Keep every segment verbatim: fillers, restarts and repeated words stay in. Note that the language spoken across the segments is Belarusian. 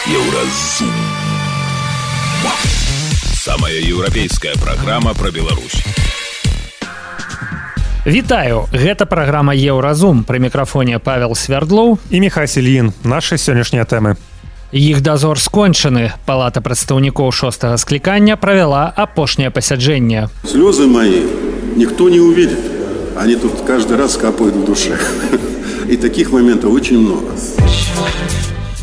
Еўразум. Самая еўрапейская праграма пра Беларусь. Вітаю, гэта праграма Еўразум. Пры мікрафоне Павел Свярдлоў і Міхась Ільін. Нашы сённяшнія тэмы. Іх дазор скончаны. Палата прадстаўнікоў шостага склікання правяла апошняе пасяджэнне. Слёзы мои никто не увидит. Они тут каждый раз капают в душе. И таких моментов очень много.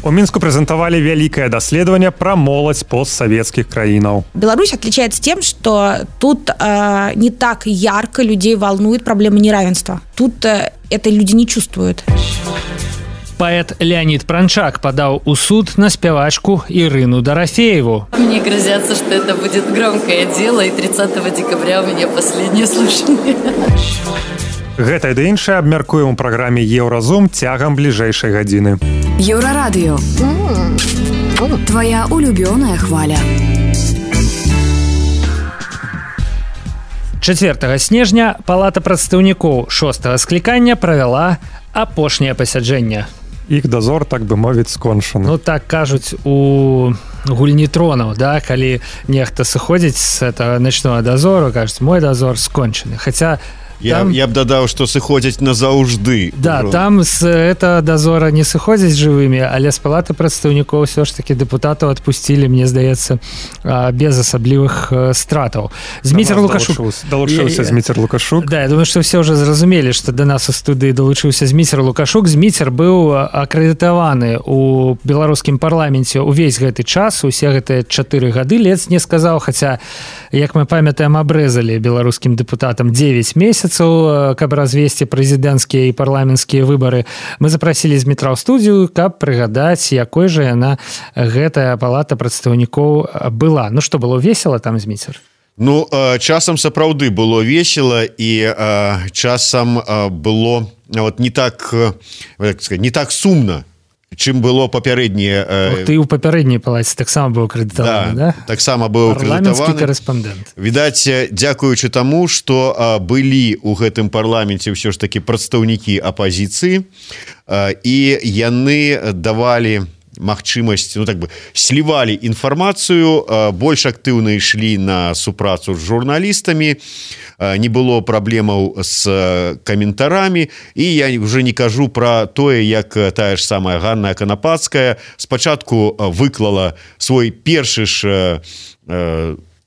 У Мінску прэзентавалі вялікае даследаванне пра моладзь постсавецкіх краінаў. Беларусь отличается тем, что тут э, не так ярко людей волнует проблема неравенства. Тут э, это люди не чувствуют. Паэт Леонид Пранчак подал у суд на спявачку Ирину Дорофееву. Мне грозятся, что это будет громкое дело, и тридцатого декабря у меня последнее слушание. Гэта і іншае абмяркуем у праграме Еўразум цягам бліжэйшай гадзіны. Еўрарадыё. Твоя улюбёная хваля. чацвёртага снежня Палата прадстаўнікоў шостага склікання правяла апошняе пасяджэнне. Іх дазор, так бы мовіць, скончаны. Ну так кажуць у гульні тронаў, да, калі нехта сыходзіць з этого ночного дозору, кажуць, мой дозор скончаны. Хаця Я, там... я б дадаў, што сыходзяць назаўжды. Да, там з этого дозора не сыходзяць жывымі, але з Палаты прадстаўнікоў ўсё ж такі дэпутатаў адпусцілі, мне здаецца, без асаблівых стратаў. Зміцер Лукашук. Далучыўся Зміцер Лукашук. Да, я думаю, што все ўжо зразумелі, што да нас у студыі далучыўся Зміцер Лукашук. Зміцер быў акрэдытаваны у беларускім парламенце ўвесь гэты час, усе гэтыя чатыры гады, ледзь не сказаў, хаця, як мы памятаем, абрэзалі беларускім дэпутатам дзевяць месяцаў, каб развесці прэзідэнцкія і парламенцкія выбары. Мы запрасілі Змітра ў студыю, каб прыгадаць, якой жа яна гэтая палата прадстаўнікоў была. Ну што, было весела там, Зміцер? Ну, часам сапраўды было весела, і часам было вот не так, як сказаць, не так сумна, чым было папярэднія... Ты ў папярэдняй палаце таксама быў акрэдытаваны, да? Да, таксама быў акрэдытаваны. Парламенцкі карэспандэнт. Відаць, дзякуючы таму, што былі ў гэтым парламенце ўсё ж такі прадстаўнікі апазіцыі, і яны давалі магчымасць, ну так бы, слівалі інфармацыю, больш актыўна ішлі на супрацу з журналістамі, не было праблемаў з каментарамі, і я уже не кажу пра тое, як тая ж самая Ганна Канапацкая спачатку выклала свой першы ж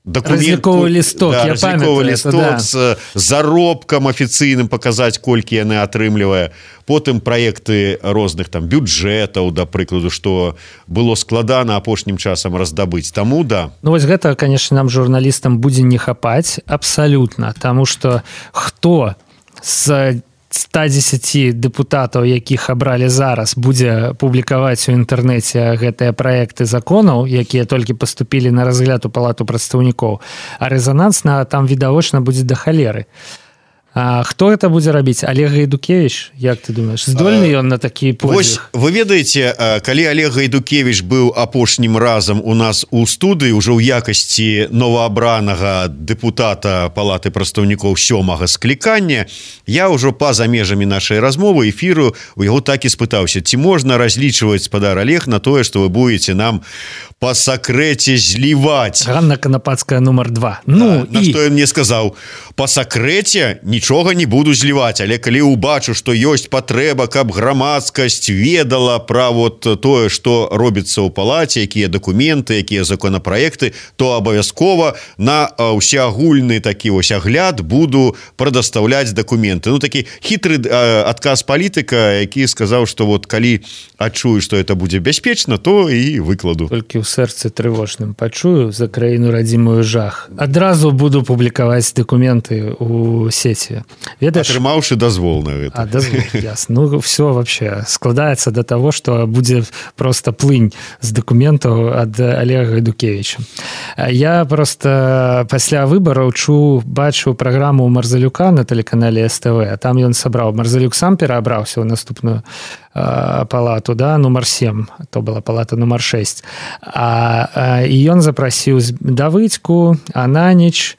документ, разліковы лісток, да, я памятаю, лісток да. з заробкам афіцыйным паказаць, колькі яны атрымлівае, потым праекты розных там бюджэтаў, да прыкладу, што было складана апошнім часам раздабыць. Таму да. Ну вось гэта, конечно, нам журналістам будзе не хапаць абсалютна, таму што хто з ста дзесяці дэпутатаў, якіх абралі зараз, будзе публікаваць у інтэрнэце гэтыя праекты законаў, якія толькі паступілі на разгляд у Палату прадстаўнікоў, а рэзанансна там відавочна будзе да халеры. А хто гэта будзе рабіць? Олег Гайдукевич, як ты думаешь, здольны ён на такі подвиг? Вось, вы ведаеце, калі Олег Гайдукевич быў апошнім разам у нас у студыі, ўжо ў якасці новаабранага дэпутата Палаты прадстаўнікоў сёмага склікання, я ўжо па-за межамі нашай размовы эфіру у яго так і спытаўся, ці можна разлічваць, спадар Олег, на тое, што вы будете нам па сакрэце зліваць. Ганна Канапацкая нумар два. Ну, да, і... На што ён мне сказаў, па сакрэце нічога не буду зліваць, але калі убачу, што ёсць патрэба, каб грамадскасць ведала пра вот тое, што робіцца ў палаце, якія дакументы, якія законапраекты, то абавязкова на ўсеагульны такі вось агляд буду прадастаўляць дакументы. Ну, такі хітры адказ палітыка, які сказаў, што вот калі адчую, што это будзе бяспечна, то і выкладу. Толькі ў сэрцы трывожным пачую за краіну радзімую жах. Адразу буду публікаваць дакументы ў сеці. Ведаеш, атрымаўшы дазвол на гэта. А, дазвол, ясно. Ну, все вообще складаецца до того, што будзе просто плынь з дакументаў ад Олега Гайдукевича. Я просто пасля выбараў чу, бачу праграму Марзалюка на тэлеканале эс тэ вэ, а там ён сабраў. Марзалюк сам пераабраўся ў наступную палату, да, нумар сем, то была палата нумар шэсць. А, а і ён запрасіў Давыдзьку, Ананіч,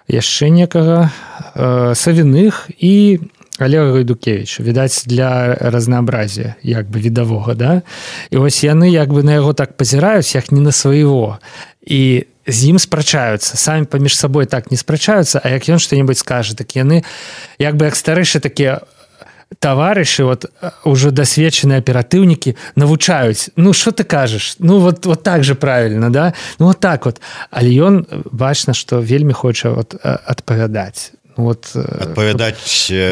яшчэ некага, э, Савіных і Олега Гайдукевича, відаць, для разнообразия як бы відавога, да? І ось яны як бы на яго так пазіраюць, як не на свайго. І з ім спрачаюцца, самі паміж сабой так не спрачаюцца, а як ён што-небудзь скажа, так яны як бы як старэйшыя такія таварышы, вот уже дасведчаныя аператыўнікі навучаюць, ну что ты кажаш, ну вот, вот так же правильно, да, ну вот так вот, але ён бачна, што вельмі хоча вот адпавядаць. Вот, адпавядаць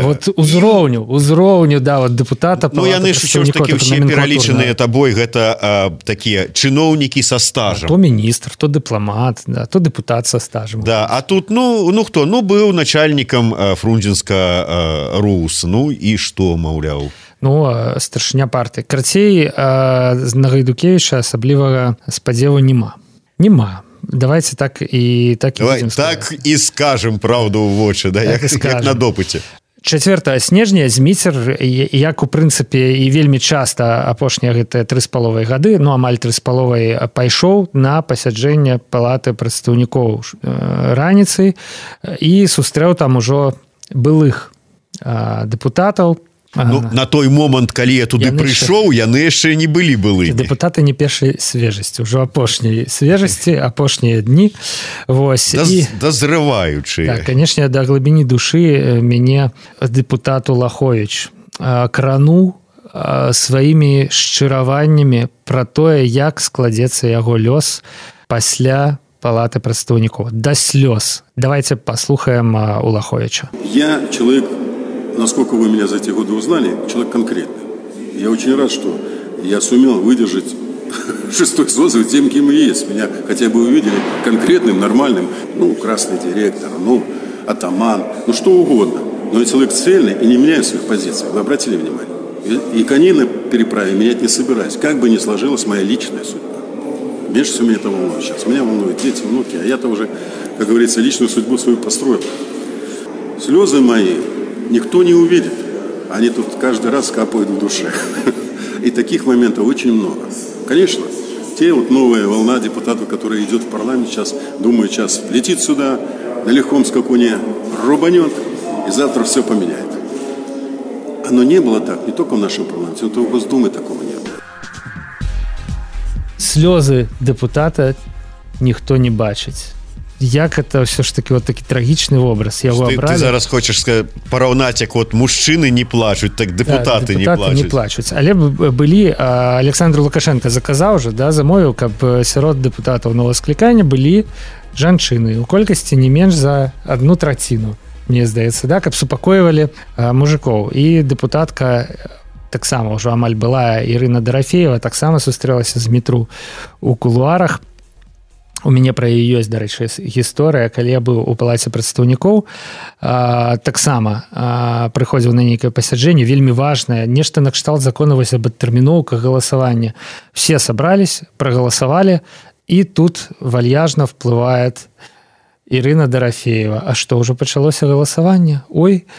вот узроўню узроўню да вот депутата. Ну яны ж ўсё ж такі ўсе пералічаныя табой гэта а, такія чыноўнікі са стажам, то міністр, то дыпламат, да, то дэпутат са стажам. Да, а тут ну ну хто ну быў начальнікам Фрунзенска РУС, ну і што, маўляў, ну старшыня партыі. Карацей, на Гайдукевіча асаблівага спадзеву няма няма Давайте так і так і Давай, так і скажем правду ў вочы, да, так як, як на допыце. чацвёртага снежня Зміцер, як у прынцыпе і вельмі часта апошнія гэтыя тры з паловай гады, ну амаль тры з паловай, пайшоў на пасяджэнне палаты прадстаўнікоў раніцай і сустрэў там ужо былых дэпутатаў. Ну, на той момант, калі я туды яны прыйшоў, яны яшчэ не былі былымі. Дэпутаты не першай свежасці, ўжо апошняй свежасці, апошнія дні. Вось. Даз, І, дазрываючыя. Так, канешне, да глыбіні душы мяне дэпутат Улаховіч крануў сваімі шчыраваннямі пра тое, як складзецца яго лёс пасля палаты прадстаўнікоў. Да слёз. Давайте послухаем Улаховича. Я человек, насколько вы меня за эти годы узнали, человек конкретный. Я очень рад, что я сумел выдержать шестой созыв тем, кем и есть. Меня хотя бы увидели конкретным, нормальным, ну, красный директор, ну, атаман, ну, что угодно. Но я человек цельный и не меняю своих позиций. Вы обратили внимание? И, и коней на переправе менять не собираюсь. Как бы ни сложилась моя личная судьба. Меньше всего меня это волнует сейчас. Меня волнуют дети, внуки, а я-то уже, как говорится, личную судьбу свою построил. Слезы мои никто не увидит. Они тут каждый раз капают в душе. И таких моментов очень много. Конечно, те вот новая волна депутатов, которая идет в парламент сейчас, думаю, сейчас летит сюда, на легком скакуне рубанет, и завтра все поменяет. Оно не было так, не только в нашем парламенте, но и в Госдуме такого не было. Слезы депутата никто не бачит. Як это все ж таки вот такі трагічны образ яго ты, абралі. Ты зараз хочаш сказаць, параўнаць, як вот мужчыны не плачуць, так депутаты, да, депутаты не плачуць. не плачуць. Але былі, Александр Лукашенко заказаў же, да, замовіў, каб сярод депутатаў новага склікання былі жанчыны у колькасці не менш за одну траціну, мне здаецца, да, каб супакойвалі мужикоў. І депутатка таксама ўжо амаль была Ірына Дарафеева, таксама сустрэлася з метру у кулуарах. У мяне пра яе ёсць, дарэчы, гісторыя, калі я быў у палаце прадстаўнікоў, таксама прыходзіў на нейкае пасяджэнне, вельмі важнае, нешта накшталт закона вось аб адтэрміноўках галасавання. Все сабрались, прагаласавалі, і тут вальяжна вплывает Ірына Дарафеева. А што, ўжо пачалося галасаванне? Ой,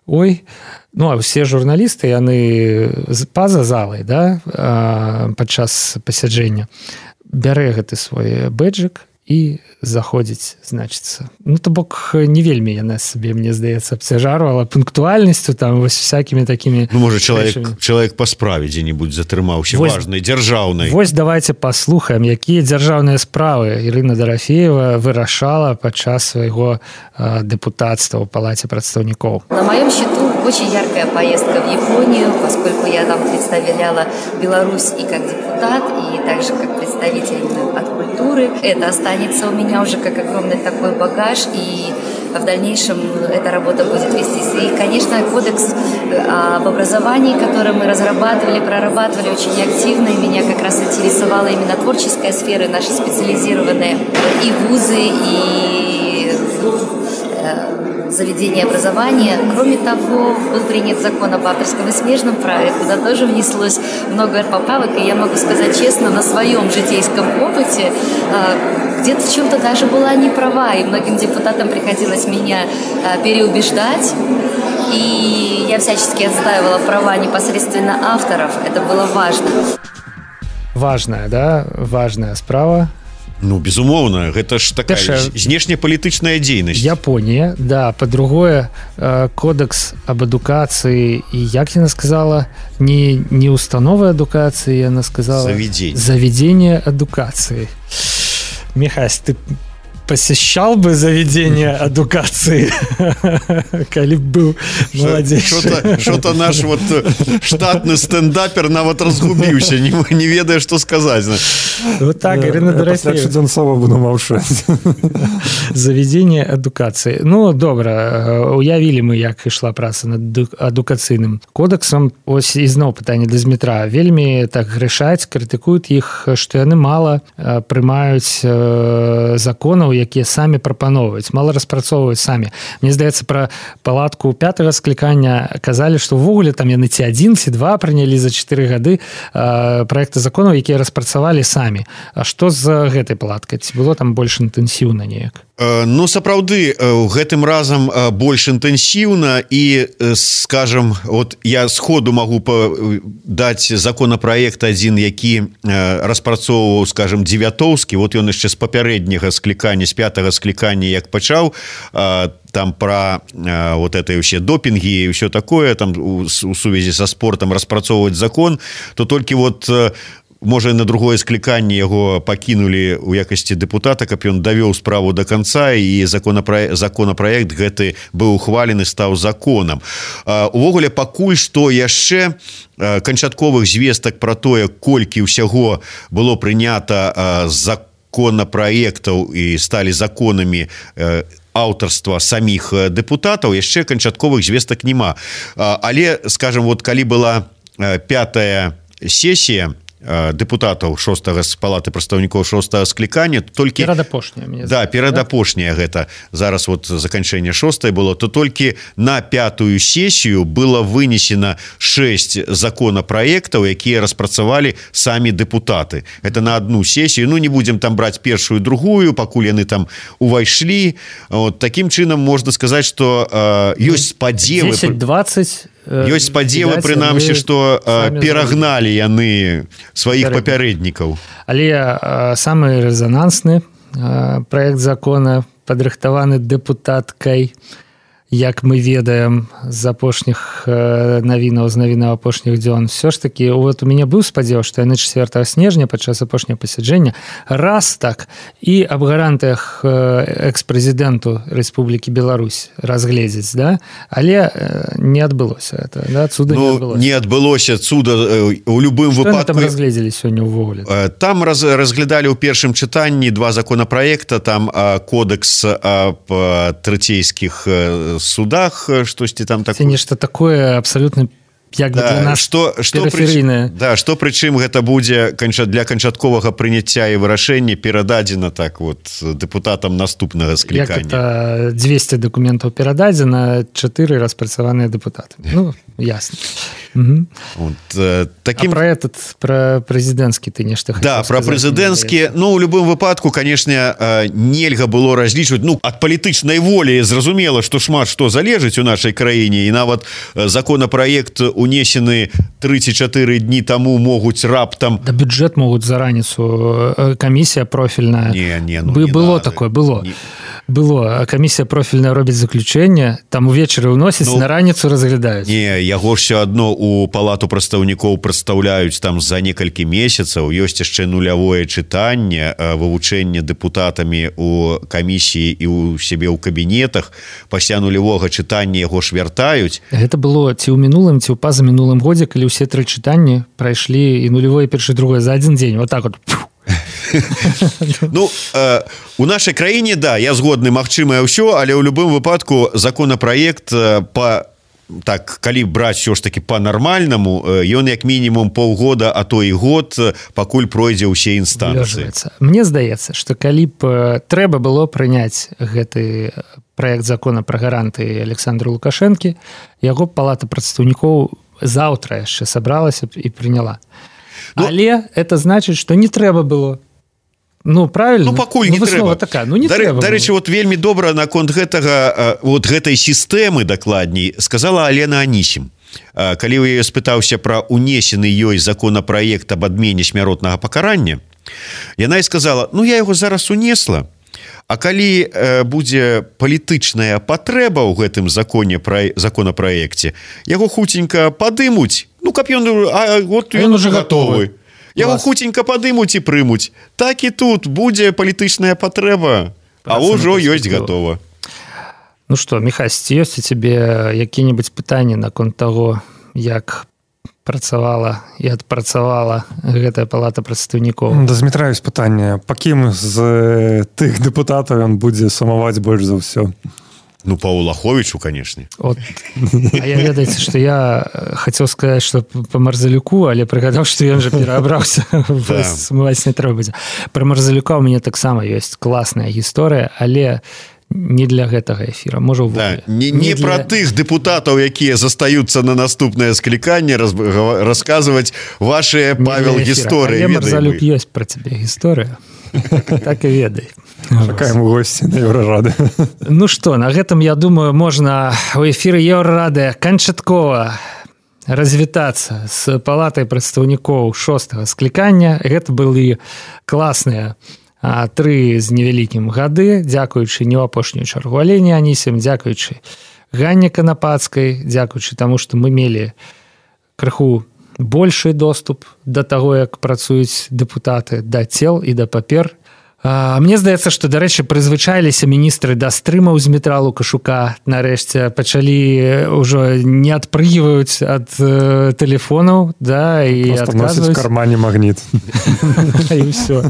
ой. Ну, а все журналісты, яны па-за залай, да, падчас пасяджэння, бярэ гэты свой бэджык і заходзіць, значыцца. Ну, то бок, не вельмі яна сабе, мне здаецца, абцяжарвала пунктуальнасцю, там, вось всякімі такімі... Ну, можа, чалавек, чалавек па справе дзе-небудзь затрымаўся, вось, важнай, дзяржаўнай. Вось давайте паслухаем, якія дзяржаўныя справы Ірына Дарафеева вырашала падчас свайго э, депутатства ў палаце прадстаўнікоў. На моем счету очень яркая поездка в Японию, поскольку я там представляла Беларусь и как депутат, и также как представитель от культуры. Это останется у меня уже как огромный такой багаж, и в дальнейшем эта работа будет вестись. И, конечно, кодекс об образовании, который мы разрабатывали, прорабатывали очень активно, и меня как раз интересовала именно творческая сфера, наши специализированные и вузы, и заведения образования. Кроме того, был принят закон об авторском и смежном праве, куда тоже внеслось много поправок, и я могу сказать честно, на своем житейском опыте где-то в чем-то даже была не права, и многим депутатам приходилось меня переубеждать, и я всячески отстаивала права непосредственно авторов, это было важно. Важная, да, важная справа. Ну, безумоўна, гэта ж такая знешнепалітычная дзейнасць. Японія, да, па-другое, кодекс аб адукацыі, і як яна сказала, не, не установы адукацыі, яна сказала заведение, заведение адукацыі. Михась, ты посещал бы заведение адукации, коли б был молодейший. Что-то наш вот штатный стендапер нават разгубился, не, не ведая, что сказать. Вот так, Ирина Дорофеева. Чуденцова буду маўчаць. Заведение адукации. Ну, добра, уявили мы, як ішла праца над адукацыйным кодексом. Ось ізноў пытанне да Змітра. Вельмі так грэшаць, крытыкуюць іх, што яны мала прымаюць законаў, якія самі прапаноўваюць, мала распрацоўваюць самі. Мне здаецца, пра палатку пятага склікання казалі, што ўвогуле там яны ці адзін, ці два прынялі за чатыры гады праекты законаў, якія распрацавалі самі. А што з гэтай палаткай? Ці было там больш інтэнсіўна неяк? Ну, сапраўды, гэтым разам больш інтэнсіўна і, скажам, вот я сходу магу даць законапраект адзін, які распрацоўваў, скажам, Дзевятоўскі, вот ён яшчэ з папярэдняга склікання, з пятага склікання, як пачаў, там про вот это ўсе допінгі і ўсё такое, там у, у сувязі са спортам распрацоўваць закон, то толькі вот можа, на другое скліканне яго пакінулі ў якасці дэпутата, каб ён давёў справу до конца, і законапраект, законапраект гэты быў ухвалены, стаў законам. Увогуле, пакуль што яшчэ канчатковых звестак пра тое, колькі ўсяго было прынята законапраектаў і сталі законамі аўтарства саміх дэпутатаў, яшчэ канчатковых звестак няма. Але, скажем, вот калі была пятая сесія дэпутатаў шостага з палаты прадстаўнікоў шостага склікання, толькі перадапошняя, да, перадапошняя гэта зараз вот заканчэнне шостай было, то толькі на пятую сесію было вынесена шэсць законапраектаў, якія распрацавалі самі дэпутаты. Это на одну сесію. Ну, не будзем там браць першую, другую, пакуль яны там увайшлі. Вот такім чынам можна сказаць, што э, ёсць спадзевы дзесяць-дваццаць ёсць спадзевы, прынамсі, што перагналі яны сваіх папярэднікаў. Але самы рэзанансны праект закона, падрыхтаваны дэпутаткай, як мы ведаем з апошніх навінаў, з навінаў апошніх дзён, все ж таки, вот у мяне быў спадзеў, што яны чацвёртага снежня падчас апошняга пасяджэння раз так і аб гарантыях экс-прэзідэнту Рэспублікі Беларусь разгледзець, да? Але не адбылося это, да? Цуда ну, не адбылося. Не адбылося цуда у любым Што выпадку. Там разгледзелі сёння ўвогуле? Там раз, разглядалі ў першым чытанні два законапраекта, там кодекс аб трэцейскіх судах, штосьці там такое. Це нешта такое абсолютно як бы да, для нас што, што перыферыйнае. Прычым, да, што прычым гэта будзе для канчатковага прыняцця і вырашэння перададзена так вот дэпутатам наступнага склікання. Як это дзвесце дакументаў перададзена, чатыры распрацаваныя дэпутаты. Ну, ясна. Угу. Вот, э, таким... А про этот, про прэзідэнцкі ты нешта хотел да, сказать? Да, про прэзідэнцкі, ну, у любым выпадку, конечно, нельга было разлічваць, ну, ад палітычнай волі зразумела, што шмат што залежыць у нашай краіне, і нават законапраект унесены тры ці чатыры дні таму могуць раптам... Да бюджэт могуць за раніцу, камісія профільная. Не, не, ну, Бы, не было надо. такое, было. Не... Было, камісія профільная робіць заключэнне, там увечары ўносіць, ну, на раніцу разглядаюць. Не, яго ж все адно у палату прадстаўнікоў прадстаўляюць там за некалькі месяцаў, ёсць яшчэ нулявое чытанне, вывучэнне дэпутатамі у камісіі і у сябе ў кабінетах, пасля нулявога чытання яго ж вяртаюць. Гэта было ці ў мінулым, ці ў пазамінулым годзе, калі ўсе тры чытанні прайшлі і нулявое, першае, другое за адзін дзень, вот так вот. Ну, э, у нашай краіне, да, я згодны, магчымае ўсё, але ў любым выпадку законапраект э, па так, калі браць ўсё ж таки па-нармальнаму, ён як мінімум паўгода, а то і год, пакуль пройдзе ўсе інстанцыі. Мне здаецца, што калі б трэба было прыняць гэты праект закона пра гаранты Александру Лукашэнкі, яго палата прадстаўнікоў заўтра яшчэ сабралася і прыняла. Ну, але это значыць, што не трэба было. Ну, правильно. Ну, пакуль не ну, трэба. Такая. Ну, не да, трэба. Дарэчы, вот вельмі добра наконт гэтага, вот гэтай сістэмы, дакладней, сказала Алена Анісім. Калі я спытаўся пра унесены ёй законапраект аб адмене смяротнага пакарання, Яна і сказала: ну я яго зараз унесла, а калі э, будзе палітычная патрэба ў гэтым законе пра законапраекце, яго хуценька падымуць, ну каб ён, а вот ён уже готовы, яго хуценька падымуць і прымуць. Так і тут будзе палітычная патрэба, а ўжо ёсць готова. Ну што, Міхась, ці ёсць у цябе які-небудзь пытанні наконт таго, як працавала і адпрацавала гэтая палата прадстаўнікоў? Да Змітра ёсць пытанне, па кім з тых дэпутатаў ён будзе сумаваць больш за ўсё? Ну, па Улаховічу, канешне. От. А я ведаеце, што я хацеў сказаць, што па Марзалюку, але прыгадаў, што ён жа пераабраўся, сумаваць не трэба будзе. Пра Марзалюка ў мяне таксама ёсць класная гісторыя, але не для гэтага эфіра, можа да, не, не, не для... пра тых дэпутатаў, якія застаюцца на наступнае скліканне, раз, расказваць вашыя, Павел, гісторыі. Але Марзалюк ёсць пра цябе гісторыя. Так і ведай. Чакаем у госці на Еўрарады. Ну што, на гэтым, я думаю, можна у эфіры Еўрарады канчаткова развітацца з палатай прадстаўнікоў шостага склікання. Гэта былі класныя а, тры з невялікім гады, дзякуючы не ў апошнюю чаргу Алені Анісім, дзякуючы Ганне Канапацкай, дзякуючы таму, што мы мелі крыху большы доступ да таго, як працуюць дэпутаты, да цел і да папер. А, мне здаецца, што, дарэчы, прызвычаіліся міністры да стрымаў з Дмітра Лукашука. Нарэшце пачалі ўжо не адпрыгваюць ад э, тэлефонаў, да, і адказваюць. Просто носіць в кармане магніт. І ўсё.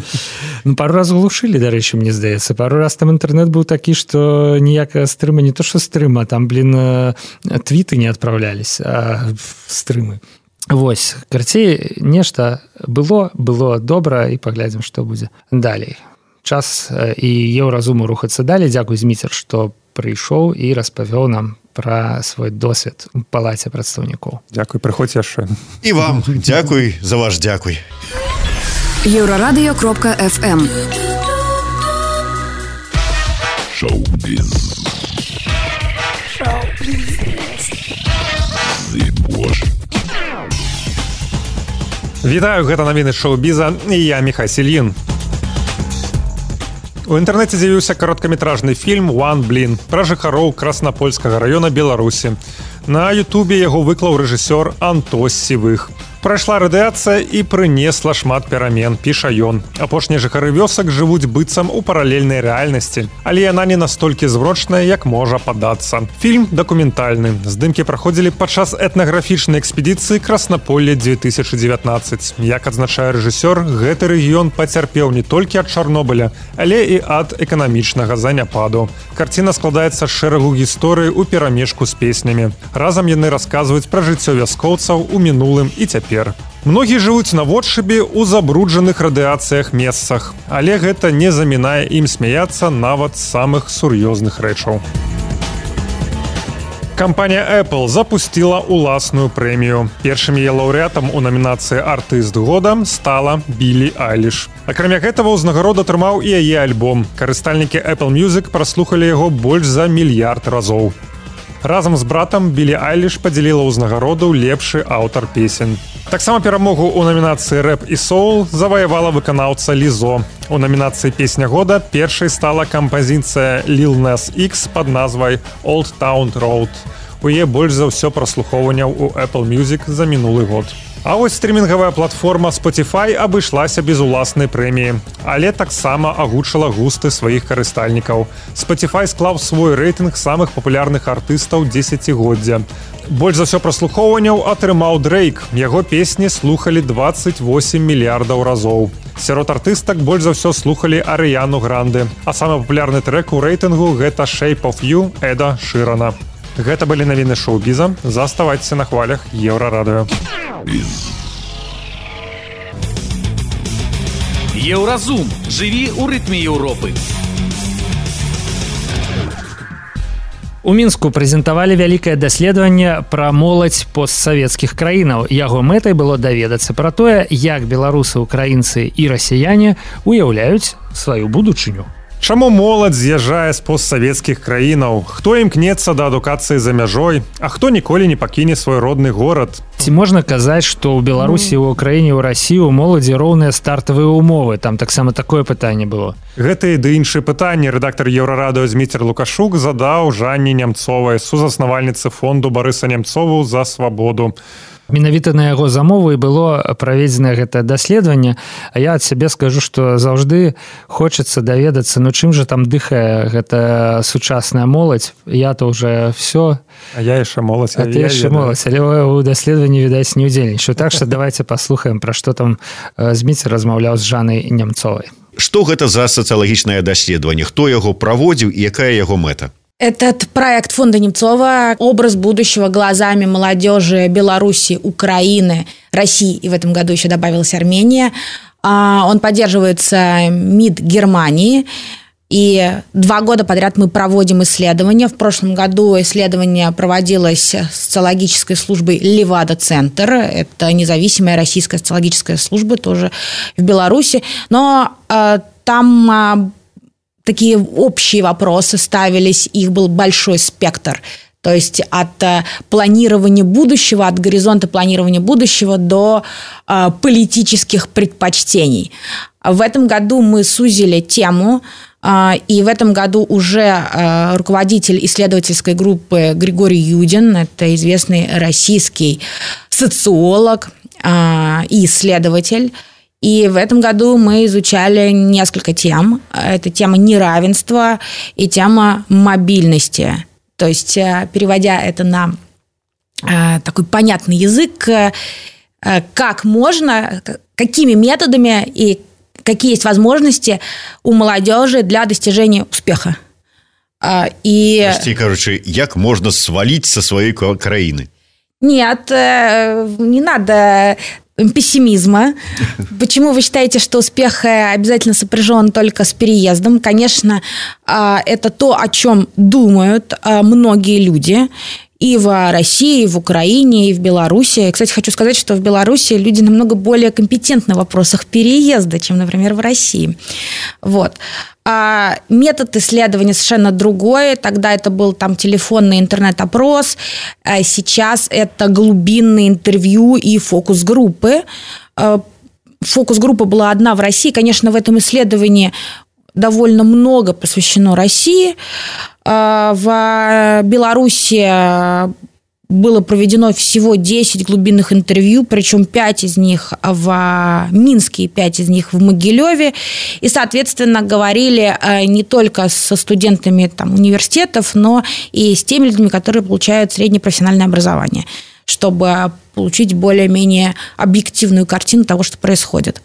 Ну, пару раз глушылі, дарэчы, мне здаецца. Пару раз там інтэрнэт быў такі, што ніякая стрыма, не то што стрыма, там, блін, твіты не адпраўлялись, а стрымы. Вось, карцей, нешта было, было добра, і паглядзім, што будзе далей. Час і Еўразуму рухацца далей. Дзякуй, Зміцер, што прыйшоў і распавёў нам пра свой досвед у палаце прадстаўнікоў. Дзякуй, прыходзь яшчэ. І вам дзякуй за ваш дзякуй. Еўрарадыё кропка эф эм. Шоу-біз. Зыбош. Вітаю, гэта навіны шоу-біза, і я Міхась Ільін. У інтэрнэце з'явіўся кароткаметражны фільм «One Блін» пра жыхароў Краснапольскага раёна Беларусі. На ютубе яго выклаў рэжысёр Антос Сівых. Прайшла радыяцыя і прынесла шмат перамен, піша ён. Апошнія жыхары вёсак жывуць быццам у паралельнай рэальнасці, але яна не настолькі зврочная, як можа падацца. Фільм дакументальны. Здымкі праходзілі падчас этнаграфічнай экспедыцыі Краснаполле две тысячи девятнадцать. Як адзначае рэжысёр, гэты рэгіён пацярпеў не толькі ад Чарнобыля, але і ад эканамічнага заняпаду. Карціна складаецца з шэрагу гісторый у перамешку з песнямі. Разам яны расказваюць пра жыццё вяскоўцаў у мінулым і цяпер. Многія жывуць наводшыбе ў забруджаных радыяцыях месцах, але гэта не замінае ім смяяцца нават з самых сур'ёзных рэчаў. Кампанія Apple запустила уласную прэмію. Першым яе лаўрэатам у намінацыі «Артыст года» стала Білі Айліш. Акрамя гэтага, ўзнагароду атрымаў і яе альбом. Карыстальнікі Apple Music праслухалі яго больш за мільярд разоў. Разам з братам Білі Айліш падзяліла ўзнагароду лепшы аўтар песень. Таксама перамогу ў намінацыі «Рэп і соул» заваявала выканаўца Лізо. У намінацыі «Песня года» першай стала кампазіцыя Lil Nas X пад назвай «Old Town Road». У яе больш за ўсё праслухоўванняў у Apple Music за мінулы год. А вось стрімінгавая платформа Spotify абышлася без уласнай прэміі, але таксама агучыла густы сваіх карыстальнікаў. Spotify склаў свой рэйтынг самых папулярных артыстаў дзесяцігоддзя. Больш за ўсё праслухоўванняў атрымаў Дрейк. Яго песні слухалі двадцать восемь мільярдаў разоў. Сярод артыстак больш за ўсё слухалі Арыяну Гранде, а самы папулярны трэк у рэйтынгу гэта «Shape of You» Эда Шырана. Гэта былі навіны шоу-біза. Заставайцеся на хвалях Еўрарадыё. Еўразум. Жыві ў рытме Еўропы. У Мінску прэзентавалі вялікае даследаванне пра моладзь постсавецкіх краінаў. Яго мэтай было даведацца пра тое, як беларусы, украінцы і расіяне уяўляюць сваю будучыню. Чаму моладзь з'язджае з постсавецкіх краінаў? Хто імкнецца да адукацыі за мяжой, а хто ніколі не пакіне свой родны горад? Ці можна казаць, што ў Беларусі, у Украіне, ў Расіі у моладзі роўныя стартавыя умовы? Там таксама такое пытанне было. Гэта і ды іншыя пытанні рэдактар Еўрарадыё Зміцер Лукашук задаў Жанне Нямцовай, сузаснавальніцы фонду Барыса Нямцову за свабоду. Менавіта на яго замову і было праведзена гэтае даследаванне, а я ад сябе скажу, што заўжды хочацца даведацца, ну чым жа там дыхае гэта сучасная моладзь. Я-то уже все. А я яшчэ моладзь. А ты яшчэ моладзь, але ў даследаванні, відаць, не ўдзельнічаю. Так што давайте паслухаем, пра што там Зміцер размаўляў з Жаннай Нямцовай. Што гэта за сацыялагічнае даследаванне? Хто яго праводзіў і якая яго мэта? Этот проект фонда Немцова «Образ будущего глазами молодежи Беларуси, Украины, России», и в этом году еще добавилась Армения. Он поддерживается МИД Германии, и два года подряд мы проводим исследования. В прошлом году исследование проводилось социологической службой «Левада-центр». Это независимая российская социологическая служба, тоже в Беларуси. Но там... такие общие вопросы ставились, их был большой спектр. То есть от планирования будущего, от горизонта планирования будущего до э, политических предпочтений. В этом году мы сузили тему, э, и в этом году уже э, руководитель исследовательской группы Григорий Юдин, это известный российский социолог э, и исследователь. И в этом году мы изучали несколько тем. Это тема неравенства и тема мобильности. То есть, переводя это на такой понятный язык, как можно, какими методами и какие есть возможности у молодежи для достижения успеха. И... Прости, короче, как можно свалить со своей краины? Нет, не надо... пессимизма. Почему вы считаете, что успех обязательно сопряжен только с переездом? Конечно, это то, о чем думают многие люди и в России, и в Украине, и в Беларуси. И, кстати, хочу сказать, что в Беларуси люди намного более компетентны в вопросах переезда, чем, например, в России. Вот. А метод исследования совершенно другой. Тогда это был там телефонный интернет-опрос. А сейчас это глубинные интервью и фокус-группы. Фокус-группа была одна в России. Конечно, в этом исследовании довольно много посвящено России. В Беларуси было проведено всего десять глубинных интервью, причем пять из них в Минске и пять из них в Могилеве. И, соответственно, говорили не только со студентами там, университетов, но и с теми людьми, которые получают среднее профессиональное образование, чтобы получить более-менее объективную картину того, что происходит.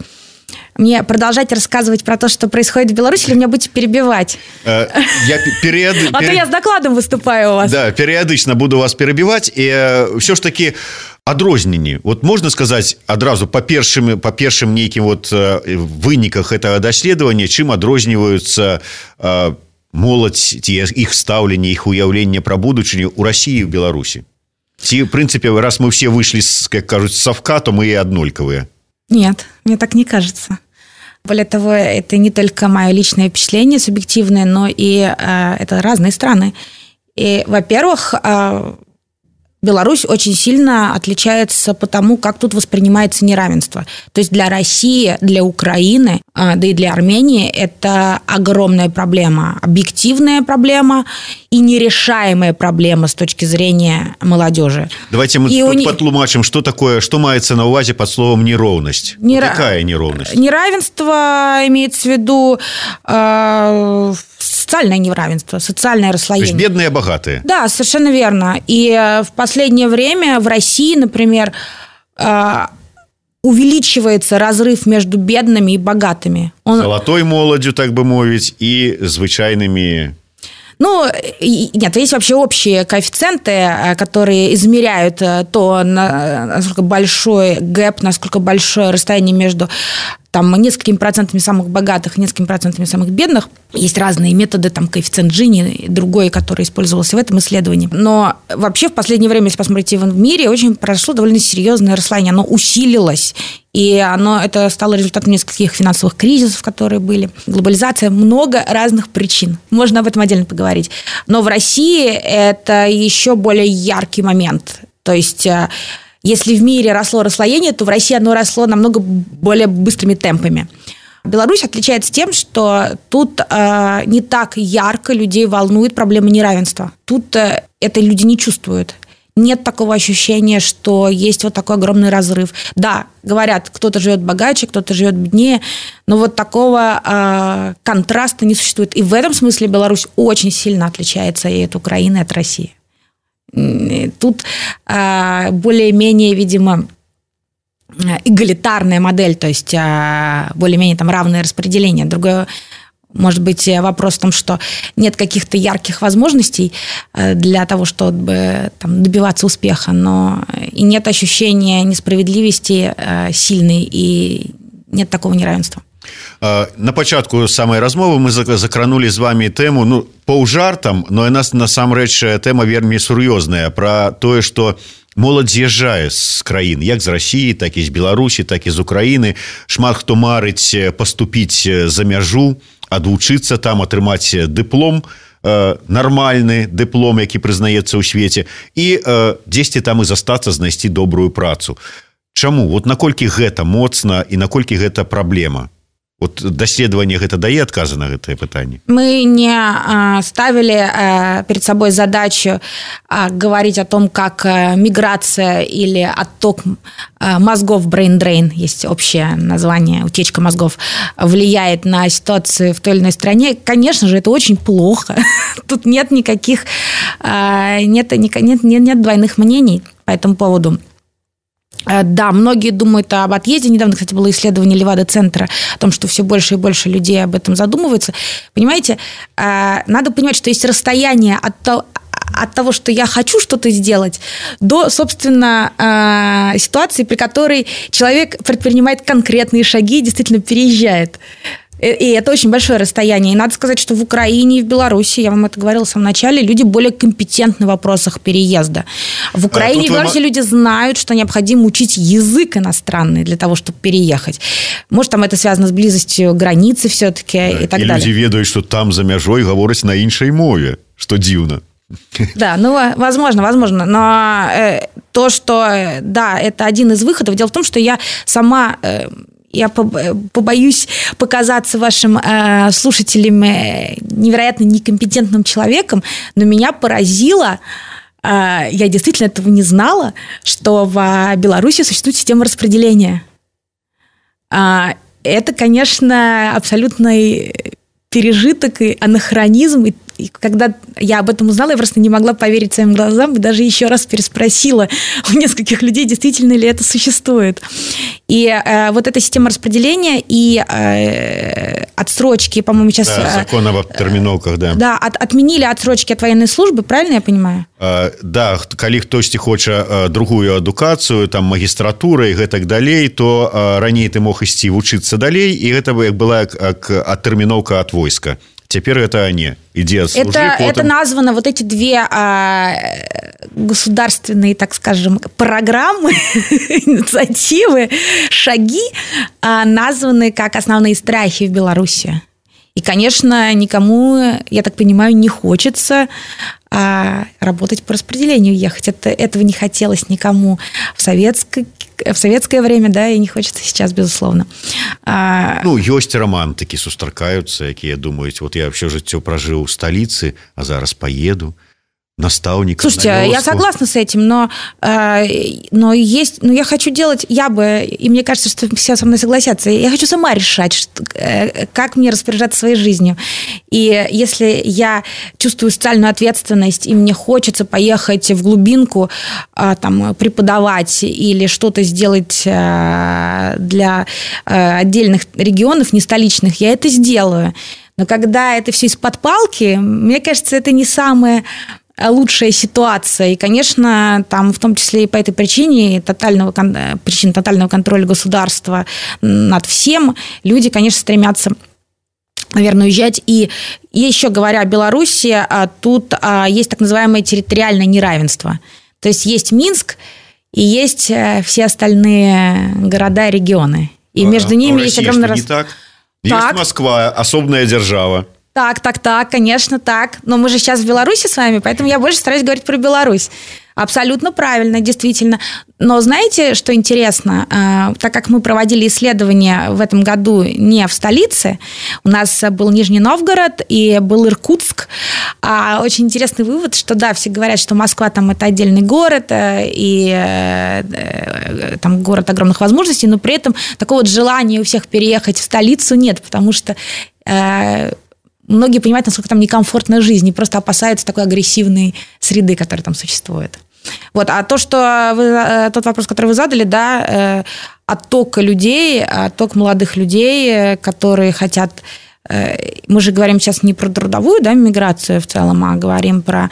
Мне продолжать рассказывать про то, что происходит в Беларуси, или меня будете перебивать? Я период... А то я с докладом выступаю у вас. Да, периодично буду вас перебивать. И все ж таки адрозненні. Вот можно сказать адразу по першым, по першым нейким вот выніках этого даследования, чым адрозніваюцца моладзь, их стаўленне, их уяўленне про будучыню у России и в Беларуси? Ці, в принципе, раз мы все вышли, как кажут, с совка, то мы и однольковые. Нет, мне так не кажется. Более того, это не только мое личное впечатление субъективное, но и э, это разные страны. И, во-первых, э, Беларусь очень сильно отличается по тому, как тут воспринимается неравенство. То есть для России, для Украины, э, да и для Армении это огромная проблема, объективная проблема и нерешаемая проблема с точки зрения молодежи. Давайте мы и потлумачим, что такое, что мається на увазе под словом неровность. Нера... Какая неровность? Неравенство имеется в виду э, социальное неравенство, социальное расслоение. То есть бедные, богатые. Да, совершенно верно. И в последнее время в России, например, э, увеличивается разрыв между бедными и богатыми. Он... Золотой молодью, так бы мовить, и звычайными... Ну, нет, есть вообще общие коэффициенты, которые измеряют то, насколько большой гэп, насколько большое расстояние между там несколькими процентами самых богатых, несколькими процентами самых бедных. Есть разные методы, там коэффициент Джини, другой, который использовался в этом исследовании. Но вообще в последнее время, если посмотрите в мире, очень прошло довольно серьезное расслоение. Оно усилилось. И оно, это стало результатом нескольких финансовых кризисов, которые были. Глобализация, много разных причин. Можно об этом отдельно поговорить. Но в России это еще более яркий момент. То есть... Если в мире росло расслоение, то в России оно росло намного более быстрыми темпами. Беларусь отличается тем, что тут э, не так ярко людей волнует проблема неравенства. Тут э, это люди не чувствуют. Нет такого ощущения, что есть вот такой огромный разрыв. Да, говорят, кто-то живет богаче, кто-то живет беднее, но вот такого э, контраста не существует. И в этом смысле Беларусь очень сильно отличается и от Украины, и от России. Тут э, более-менее, видимо, эгалитарная модель, то есть э, более-менее там равное распределение. Другое, может быть, вопрос в том, что нет каких-то ярких возможностей э, для того, чтобы там, добиваться успеха, но и нет ощущения несправедливости э, сильной, и нет такого неравенства. На пачатку самай размовы мы закранули з вами тэму, ну, паўжартам, но яна насамрэч тэма вельмі сур'ёзная пра тое, што моладзь з'язджае з краін, як з Расіі, так і з Беларусі, так і з Украіны. Шмат хто марыць паступіць за мяжу, адвучыцца там, атрымаць дыплом, нармальны дыплом, які прызнаецца ў свеце, і дзесьці там і застацца, знайсці добрую працу. Чаму? Вот наколькі гэта моцна і наколькі гэта праблема? Вот даследование это дае отказы на это питание? Мы не а, ставили а, перед собой задачу а, говорить о том, как а, миграция или отток а, мозгов, brain drain, есть общее название, утечка мозгов, влияет на ситуацию в той или иной стране. Конечно же, это очень плохо. Тут нет никаких, а, нет, нет, нет, нет двойных мнений по этому поводу. Да, многие думают об отъезде. Недавно, кстати, было исследование Левада-центра о том, что все больше и больше людей об этом задумываются. Понимаете, надо понимать, что есть расстояние от того, от того, что я хочу что-то сделать, до, собственно, ситуации, при которой человек предпринимает конкретные шаги и действительно переезжает. И это очень большое расстояние. И надо сказать, что в Украине и в Беларуси, я вам это говорила в самом начале, люди более компетентны в вопросах переезда. В Украине а, и в Беларуси вы... люди знают, что необходимо учить язык иностранный для того, чтобы переехать. Может, там это связано с близостью границы все-таки да, и так и далее. И люди ведают, что там за мяжой говорят на іншай мове, что дивно. Да, ну, возможно, возможно. Но э, то, что, да, это один из выходов. Дело в том, что я сама... Э, Я побоюсь показаться вашим э, слушателям невероятно некомпетентным человеком, но меня поразило, э, я действительно этого не знала, что в Беларуси существует система распределения. Э, это, конечно, абсолютный пережиток и анахронизм. И, и когда я об этом узнала, я просто не могла поверить своим глазам и даже еще раз переспросила у нескольких людей, действительно ли это существует. И э, вот эта система распределения и э, отсрочки, по-моему, сейчас... Да, закон об терминовках, да. Да, от, отменили отсрочки от военной службы, правильно я понимаю? А, да, калі хтосьці хоча другую адукацыю, там, магістратура і гэтак далей, то а, раней ты мог ісці вучыцца далей, і гэта была як адтэрміноўка ад войска. Теперь это не. Иди отслужи, это, потом... это названо, вот эти две а, государственные, так скажем, программы, инициативы, шаги а, названы как основные страхи в Беларуси. И, конечно, никому, я так понимаю, не хочется а, работать по распределению, ехать. Это, этого не хотелось никому в советской в советское время, да, и не хочется сейчас, безусловно. А... Ну, ёсць романтыкі сустракаюцца, якія думаюць, вот я все жыццё прожил в столице, а зараз поеду наставником. Слушайте, на я согласна с этим, но, э, но есть, но я хочу делать, я бы, и мне кажется, что все со мной согласятся, я хочу сама решать, что, э, как мне распоряжаться своей жизнью. И если я чувствую социальную ответственность, и мне хочется поехать в глубинку, э, там, преподавать или что-то сделать э, для э, отдельных регионов, не столичных, я это сделаю. Но когда это все из-под палки, мне кажется, это не самое... лучшая ситуация. И, конечно, там в том числе и по этой причине, тотального, причине тотального контроля государства над всем, люди, конечно, стремятся, наверное, уезжать. И еще говоря о Беларуси, тут есть так называемое территориальное неравенство. То есть есть Минск и есть все остальные города и регионы. И а, между ними есть огромный... Не так? Есть так. Москва, особная держава. Так, так, так, конечно, так. Но мы же сейчас в Беларуси с вами, поэтому я больше стараюсь говорить про Беларусь. Абсолютно правильно, действительно. Но знаете, что интересно? Так как мы проводили исследования в этом году не в столице, у нас был Нижний Новгород и был Иркутск. Очень интересный вывод, что да, все говорят, что Москва там это отдельный город и там город огромных возможностей, но при этом такого вот желания у всех переехать в столицу нет, потому что многие понимают, насколько там некомфортная жизнь, и просто опасаются такой агрессивной среды, которая там существует. Вот. А то, что вы, тот вопрос, который вы задали, да, отток людей, отток молодых людей, которые хотят... Мы же говорим сейчас не про трудовую, да, миграцию в целом, а говорим про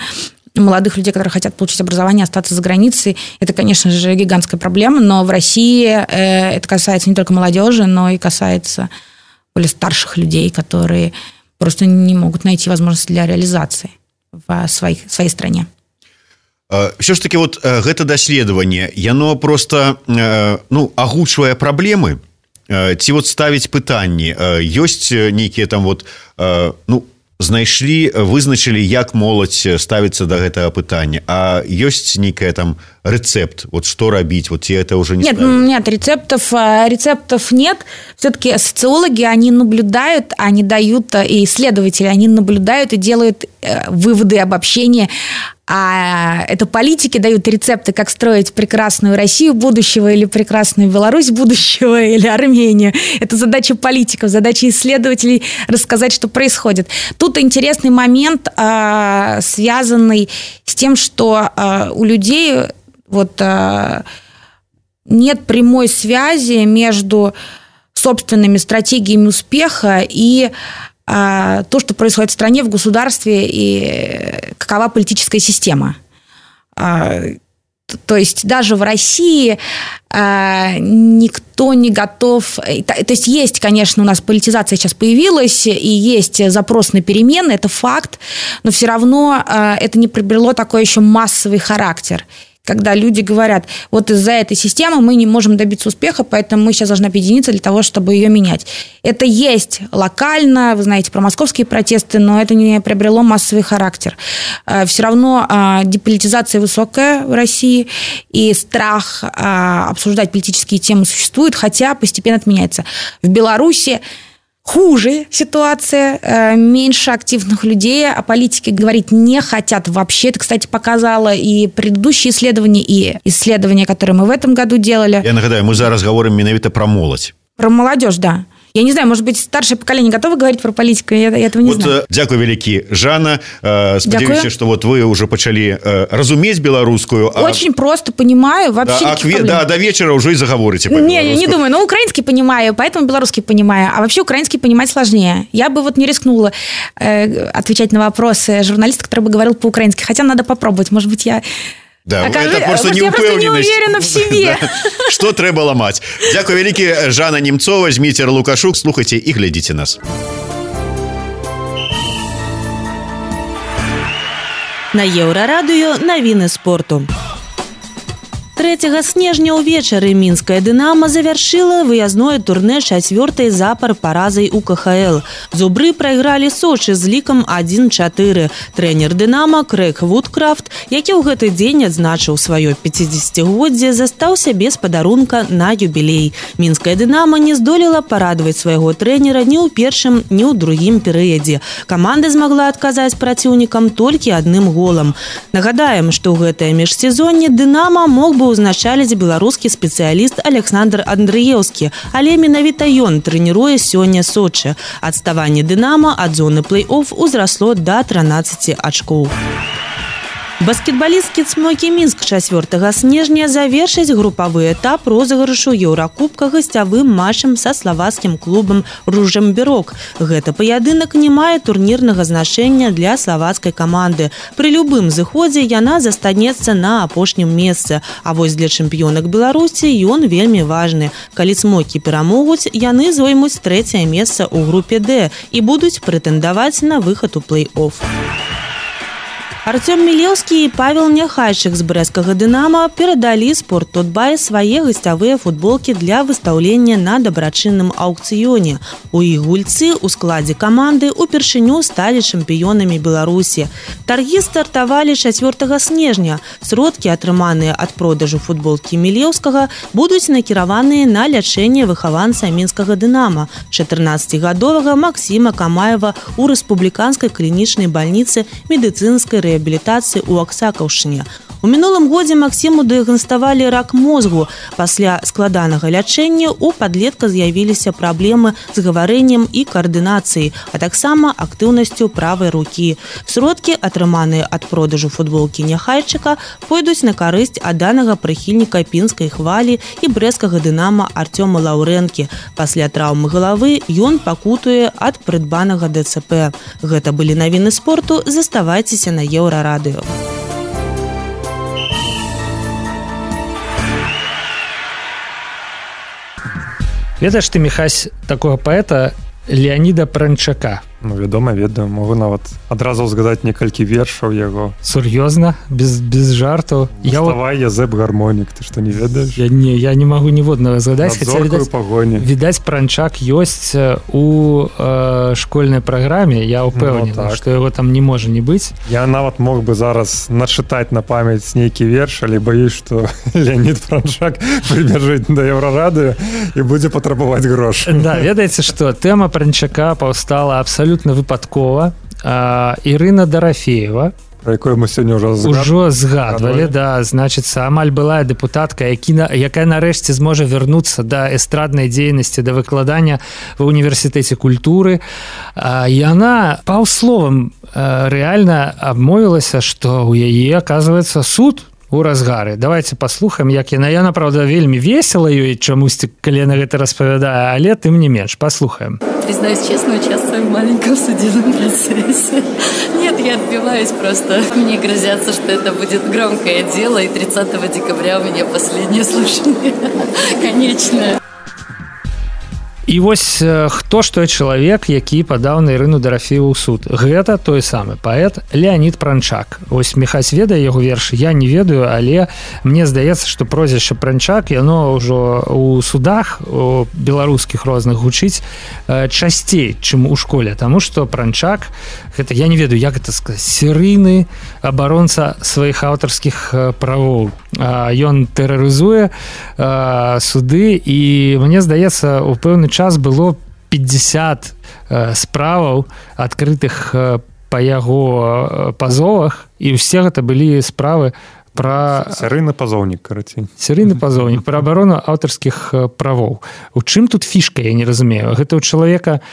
молодых людей, которые хотят получить образование, остаться за границей. Это, конечно же, гигантская проблема, но в России это касается не только молодежи, но и касается более старших людей, которые... просто не могут найти возможность для реализации в своих, своей стране. Все ж таки вот гэта даследаванне, яно просто ну, агучвае праблемы, ці вот ставіць пытанні, ёсць нейкія там вот, ну, знайшлі, вызначылі, як моладзь ставіцца да гэтага пытання, а ёсць нейкая там рецепт, вот что рабіць, вот это уже не нет, ставят? Нет, рецептов, рецептов нет. Все-таки социологи, они наблюдают, они дают, и исследователи, они наблюдают и делают выводы, обобщения. А это политики дают рецепты, как строить прекрасную Россию будущего или прекрасную Беларусь будущего или Армению. Это задача политиков, задача исследователей рассказать, что происходит. Тут интересный момент, связанный с тем, что у людей вот, нет прямой связи между собственными стратегиями успеха и то, что происходит в стране, в государстве и какова политическая система. То есть даже в России никто не готов... То есть есть, конечно, у нас политизация сейчас появилась, и есть запрос на перемены, это факт, но все равно это не приобрело такой еще массовый характер. Когда люди говорят, вот из-за этой системы мы не можем добиться успеха, поэтому мы сейчас должны объединиться для того, чтобы ее менять. Это есть локально, вы знаете про московские протесты, но это не приобрело массовый характер. Все равно деполитизация высокая в России, и страх обсуждать политические темы существует, хотя постепенно отменяется. В Беларуси хуже ситуация, меньше активных людей, о политике говорить не хотят вообще. Это, кстати, показало и предыдущие исследования, и исследования, которые мы в этом году делали. Я нагадаю, мы зараз говорим менавіта про молодь. Про молодежь, да. Я не знаю, может быть, старшее поколение готово говорить про политику, я, я этого не вот, знаю. Дякую вялікі, Жанна. Спадзяюся, что вот вы уже пачалі разуметь беларускую. Очень а... просто понимаю, вообще да, никаких а, проблем. Да, до вечера уже и заговорите по-белорусски. Не, я не думаю, но украинский понимаю, поэтому белорусский понимаю, а вообще украинский понимать сложнее. Я бы вот не рискнула э, отвечать на вопросы журналиста, который бы говорил по-украински, хотя надо попробовать, может быть, я... Да, Окажи... это просто я просто не уверена в себе. Да. Что трэба ламаць. Дякую вялікі, Жанна Немцова, Зміцер Лукашук. Слухайте и глядите нас. На Еўрарадыё навіны спорту. трэцяга снежня ўвечары мінская «Дынамо» завяршыла выязное турнэ чацвёртай запар паразай у ка ха эл. Зубры прайгралі Сочы з лікам адзін чатыры. Трэнер «Дынамо» Крэг Вудкрафт, які ў гэты дзень адзначыў сваё пяцідзесяцігоддзе, застаўся без падарунка на юбілей. Мінская «Дынамо» не здолела парадаваць свайго трэнера ні ў першым, ні ў другім перыядзе. Каманда змагла адказаць праціўнікам толькі адным голам. Нагадаем, што ў гэтае міжсезонне «Дынамо» мог бы узначаліць беларускі спецыяліст Александр Андрыеўскі, але менавіта ён трэніруе сёння Сочы. Адставанне «Дынамо» ад зоны плэй-офф узрасло да трынаццаці ачкоў. Баскетбалісткі «Цмокі Мінск» чацвёртага снежня завершыць групавы этап розыгрышу Еўракубка гасцявым матчам са славацкім клубам «Ружемберок». Гэты паядынак не мае турнірнага значэння для славацкай каманды. Пры любым зыходзе яна застанецца на апошнім месцы. А вось для чэмпіёнак Беларусі ён вельмі важны. Калі «Цмокі» перамогуць, яны зоймуць трэцяе месца ў групе «Д» і будуць прэтэндаваць на выхад у плэй-офф. Артём Мілеўскі і Павел Няхайчык з брэсцкага «Дынама» перадалі «Спорт.Тутбай» свае гасцявыя футболкі для выстаўлення на дабрачынным аўкцыёне. У іх гульцы ў складзе каманды упершыню сталі чэмпіёнамі Беларусі. Таргі стартавалі чацвёртага снежня. Сродкі, атрыманыя ад продажу футболкі Мілеўскага, будуць накіраваныя на лячэнне выхаванца мінскага «Дынама» чатырнаццацігадовага Максіма Камаева ў рэспубліканскай клінічнай бальніцы медыцынскай рэабілітацыі реабілітацыі ў Аксакаўшчыне. У мінулым годзе Максіму дыягнаставалі рак мозгу. Пасля складанага лячэння у падлетка з'явіліся праблемы з гаварэннем і каардынацыяй, а таксама актыўнасцю правай рукі. Сродкі, атрыманыя ад продажу футболкі Няхайчыка, пойдуць на карысць адданага прыхільніка пінскай хвалі і брэсцкага «Дынама» Артёма Лаўрэнкі. Пасля траўмы галавы ён пакутуе ад прыдбанага дэ цэ пэ. Гэта былі навіны спорту. Заставайцеся на Еўрарадыё. Ведаеш ты, Міхась, такога паэта Леаніда Пранчака? Ну, вядома, ведаю. Могу нават адразу згадаць некалькі вершаў яго. Сур'ёзна? Без, без жартаў? Уставай, я Язэп Гармонік. Ты што, не ведаеш? Я не, я не магу ніводнага згадаць. Над зоркаю пагоні. Відаць, Пранчак ёсць у э, школьнай праграме. Я ўпэўнены, ну, так. што яго там не можа не быць. Я нават мог бы зараз начытаць на памяць нейкі верш, але баюсь, што Леанід Пранчак прыбяжыць да Еўрарадыё і будзе патрабаваць грошы. Да, ведаеце што, тэма Пранчака паўстала абсалютна выпадкова. А, Ірына Дарафеева, про якую мы сёння ўжо ўжо згадвалі, да, значыцца, амаль былая дэпутатка, які, якая нарэшце зможа вярнуцца да эстраднай дзейнасці, да выкладання ва універсітэце культуры. А, яна паўсловам рэальна абмовілася, што ў яе, аказваецца, суд у разгары. Давайте паслухаем, як яна. Яна, правда, вельмі весела ёй чамусьці, калі яна гэта распавядае, але тым не менш. Паслухаем. Признаюсь честно, участвую в маленьком судебном процессе. Нет, я отбиваюсь просто. Мне грозятся, что это будет громкое дело, и тридцатого декабря у меня последнее слушание. Конечное. І вось хто ж той чалавек, які падаў на Ірыну Дарафееву ў суд. Гэта той самы паэт Леанід Пранчак. Вось Міхась ведае яго вершы, я не ведаю, але мне здаецца, што прозвішча Пранчак, яно ўжо ў судах у беларускіх розных гучыць часцей, чым у школе, таму што Пранчак, гэта, я не ведаю, як гэта сказаць, серыйны абаронца сваіх аўтарскіх правоў. Ён тэрарызуе суды, і мне здаецца, у пэўны час было пятьдесят справаў адкрытых па яго пазовах, і ўсе гэта былі справы пра... Серыйны пазоўнік, карацей. Серыйны пазоўнік, пра абарону аўтарскіх правоў. У чым тут фішка, я не разумею. Гэта ў чалавека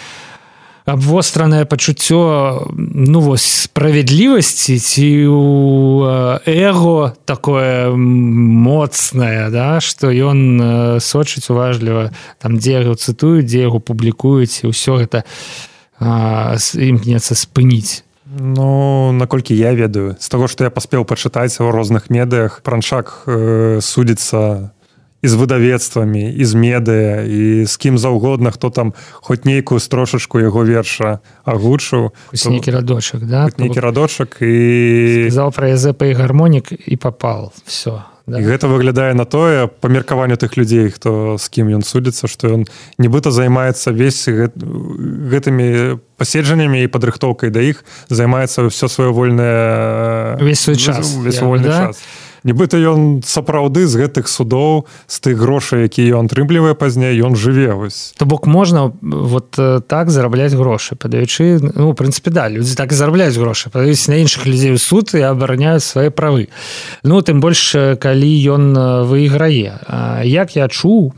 абвостранае пачуццё, ну вось, справядлівасці, ці у эго такое моцнае, да, што ён сочыць уважліва, там, дзе яго цытуюць, дзе яго публікуюць, і ўсё гэта а, імкнецца спыніць. Ну, наколькі я ведаю, з таго, што я паспеў пачытаць у розных медыях, Пранчак э, судзіцца і з выдавецтвамі, і з медыя, і з кім заўгодна, хто там хоць нейкую строшачку яго верша агучыў. Хоць нейкі радочак, да? Хоць нейкі радочак, і... Сказаў пра Язэпа і гармонік, і папал. Всё. Да. І гэта выглядае на тое, па меркаванню тых людзей, хто з кім ён судзіцца, што ён нібыта займаецца весь гэт... гэтымі паседжаннямі і падрыхтоўкай да іх, займаецца ўсё сваё вольнае... Весь свой час. Весь свой вольны да? час. Нібыта ён сапраўды з гэтых судоў, з тых грошай, якія ён атрымлівае пазней, ён жыве. Вось. То бок можна вот так зарабляць грошы, падаючы, ну, у прынцыпе, да, людзі так і зарабляюць грошы, падаюць на іншых людзей у суд і абараняюць свае правы. Ну, тым больш, калі ён выйграе. Як я чуў,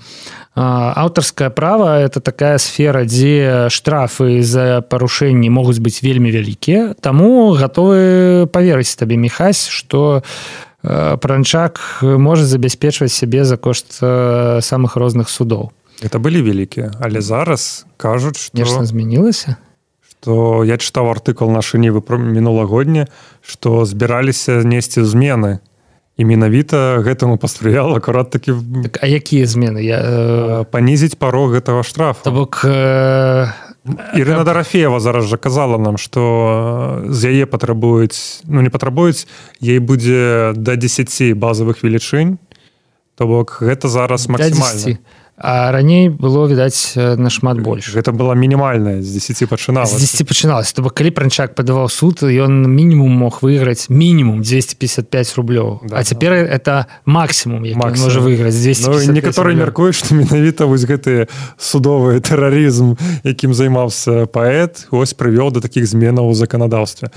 аўтарскае права это такая сфера, дзе штрафы за парушэнні могуць быць вельмі вялікія, таму гатовы паверыць табе, Міхась, што Пранчак можа забяспечваць сябе за кошт самых розных судоў. Это былі вялікія, але зараз кажуць, што нешта змянілася, што я чытаў артыкул нашы нівы мінулагодні, што збіраліся несці змены. І менавіта гэтаму паспрыяла акурат такі... Так, а якія змены? Я, э... Панізіць парог гэтага штрафа. То бок... Э... Ірына Дарафеева зараз жа казала нам, што з яе патрабуюць, ну не патрабуюць, ей будзе да дзесяці базавых велічынь, то бок гэта зараз максімальна. А раней было, відаць, нашмат больш. Гэта была мінімальная, з дзесяці пачыналася. З дзесяці пачыналася. То бок, калі Пранчак падаваў суд, ён мінімум мог выйграць мінімум двести пятьдесят пять рублёў. Да, а цяпер да. Это максімум, які максимум. Можа выйграць двести пятьдесят пять. Ну, некаторыя мяркуюць, што менавіта вось гэты судовы тэрарызм, якім займаўся паэт, ось прывёў да такіх зменаў у заканадаўстве.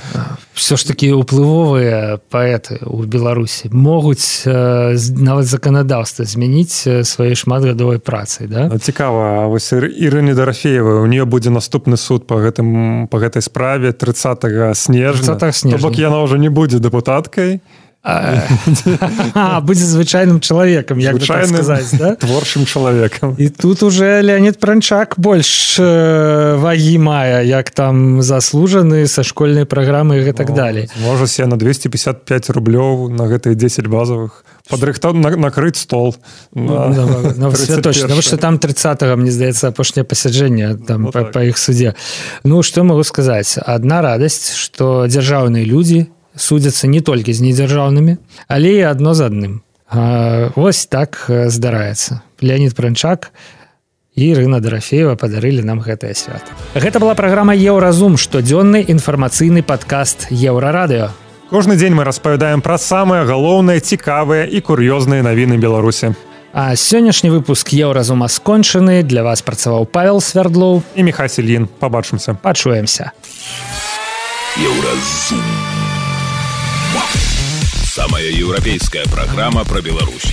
Всё ж такі ўплывовыя паэты ў Беларусі могуць э, нават заканадаўства змяніць свае шматгадовай працы, да? Цікава, вось Ірыне Дарафеевай, у нее будзе наступны суд по гэтым по гэтай справе тридцатого снежня. То бок яна ўжо не будзе дэпутаткай. А, будзе звычайным чалавекам, як бы так сказаць, да? Творчым чалавекам. І тут уже Леонид Пранчак больш вагі мае, як там заслужаны са школьнай праграмы і так далей. Можа себе на двести пятьдесят пять рублёў на гэтыя десять базовых падрыхтаў накрыць стол. Святочна, што там тридцатого, мне здаецца, апошняе пасяджэнне там па іх судзе. Ну, што магу сказаць? Адна радасць, што дзяржаўныя людзі судзяцца не толькі з недзяржаўнымі, але і адно з адным. Вось так здараецца. Леонид Пранчак і Ірына Дарафеева падарылі нам гэтае свята. Гэта была праграма «Еўразум», штодзённы інфармацыйны падкаст Еўрарадыё. Кожны дзень мы распавядаем пра самыя галоўныя, цікавыя і кур'ёзныя навіны Беларусі. А сённяшні выпуск «Еўразума» скончаны. Для вас працаваў Павел Свярдлоў і Міхась Ільін. Пабачымся. Пачуемся. «Еўразум». Самая еўрапейская программа про Беларусь.